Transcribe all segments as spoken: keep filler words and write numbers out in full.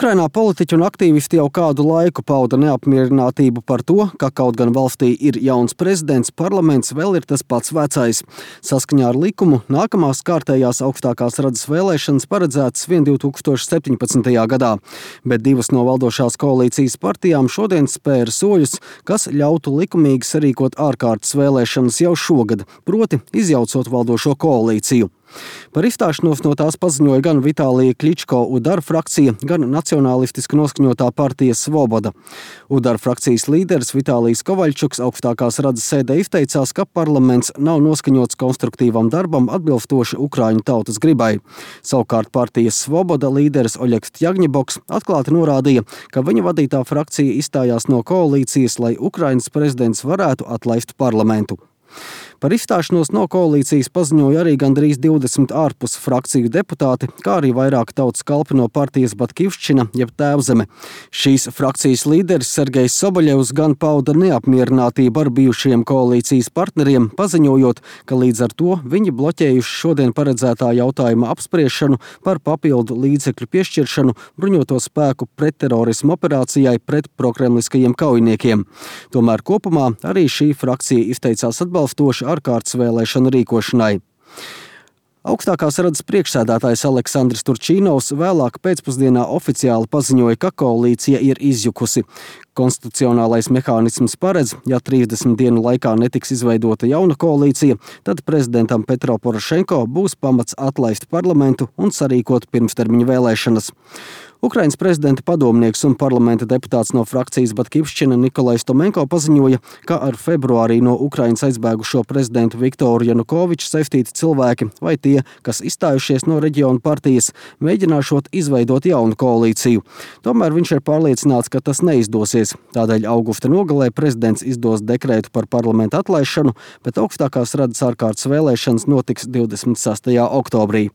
Ukrainā politiķi un aktīvisti jau kādu laiku pauda neapmierinātību par to, ka kaut gan valstī ir jauns prezidents, parlaments vēl ir tas pats vecais. Saskaņā ar likumu nākamās kārtējās augstākās radas vēlēšanas paredzētas vien divi tūkstoši septiņpadsmitajā gadā, bet divas no valdošās koalīcijas partijām šodien spēra soļus, kas ļautu likumīgi sarīkot ārkārtas vēlēšanas jau šogad, proti izjaucot valdošo koalīciju. Par izstāšanos no tās paziņoja gan Vitālija Kļičko Udara frakcija, gan nacionālistiski noskaņotā partija Svoboda. Udara frakcijas līderis Vitālijs Kovaļčuks augstākās radas sēdē izteicās, ka parlaments nav noskaņots konstruktīvam darbam atbilstoši Ukraiņu tautas gribai. Savukārt partijas Svoboda līderis Oļegs Tjagņeboks atklāti norādīja, ka viņa vadītā frakcija izstājās no koalīcijas, lai Ukrainas prezidents varētu atlaist parlamentu. Par izstāšanos no koalīcijas paziņoja arī gandrīz divdesmit ārpus frakciju deputāti, kā arī vairāk tautas kalpi no partijas Batkivšķina, jeb Tēvzeme. Šīs frakcijas līderis Sergejs Soboļevs gan pauda neapmierinātību ar bijušiem koalīcijas partneriem, paziņojot, ka līdz ar to viņi bloķējuši šodien paredzētā jautājuma apspriešanu par papildu līdzekļu piešķiršanu bruņoto spēku pretterorismu operācijai pret prokremliskajiem kaujiniekiem. Tomēr kopumā arī šī frakcija izteicās atbalstoši ārkārtas vēlēšanu rīkošanai. Augstākās radas priekšsēdētājs Aleksandrs Turčīnovs vēlāk pēcpusdienā oficiāli paziņoja, ka koalīcija ir izjukusi. Konstitucionālais mehānisms paredz, ja trīsdesmit dienu laikā netiks izveidota jauna koalīcija, tad prezidentam Petro Porošenko būs pamats atlaist parlamentu un sarīkot pirmstermiņa vēlēšanas. Ukrainas prezidenta padomnieks un parlamenta deputāts no frakcijas Batkivšķina Nikolajs Tomenko paziņoja, ka ar februārī no Ukrainas aizbēgušo prezidentu Viktoru Janukoviču saistīti cilvēki vai tie, kas izstājušies no reģiona partijas, mēģināšot izveidot jaunu koalīciju. Tomēr viņš ir pārliecināts, ka tas neizdosies. Tādēļ augusta nogalē prezidents izdos dekrētu par parlamenta atlaišanu, bet augstākās radas ārkārtas vēlēšanas notiks divdesmit sestajā oktobrī.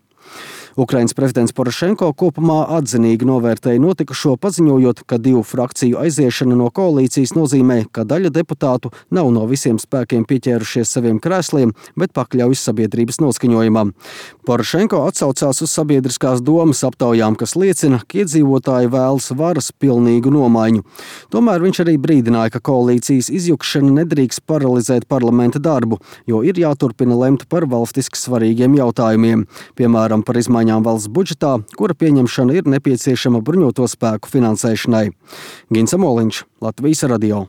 Ukrainas prezidents Porošenko kopumā atzinīgi novērtēja notikušo, paziņojot, ka divu frakciju aiziešana no koalīcijas nozīmē, ka daļa deputātu nav no visiem spēkiem pieķērušies saviem krēsliem, bet pakļaujas sabiedrības noskaņojumam. Porošenko atsaucās uz sabiedriskās domas aptaujām, kas liecina, ka iedzīvotāji vēlas varas pilnīgu nomaiņu. Tomēr viņš arī brīdināja, ka koalīcijas izjukšana nedrīkst paralizēt parlamenta darbu, jo ir jāturpina lemt par valstiski svarīgiem jautājumiem, piemēram, par izmaiņām valsts budžetā, kura pieņemšana ir nepieciešama bruņoto spēku finansēšanai. Gins Amoliņš, Latvijas radio.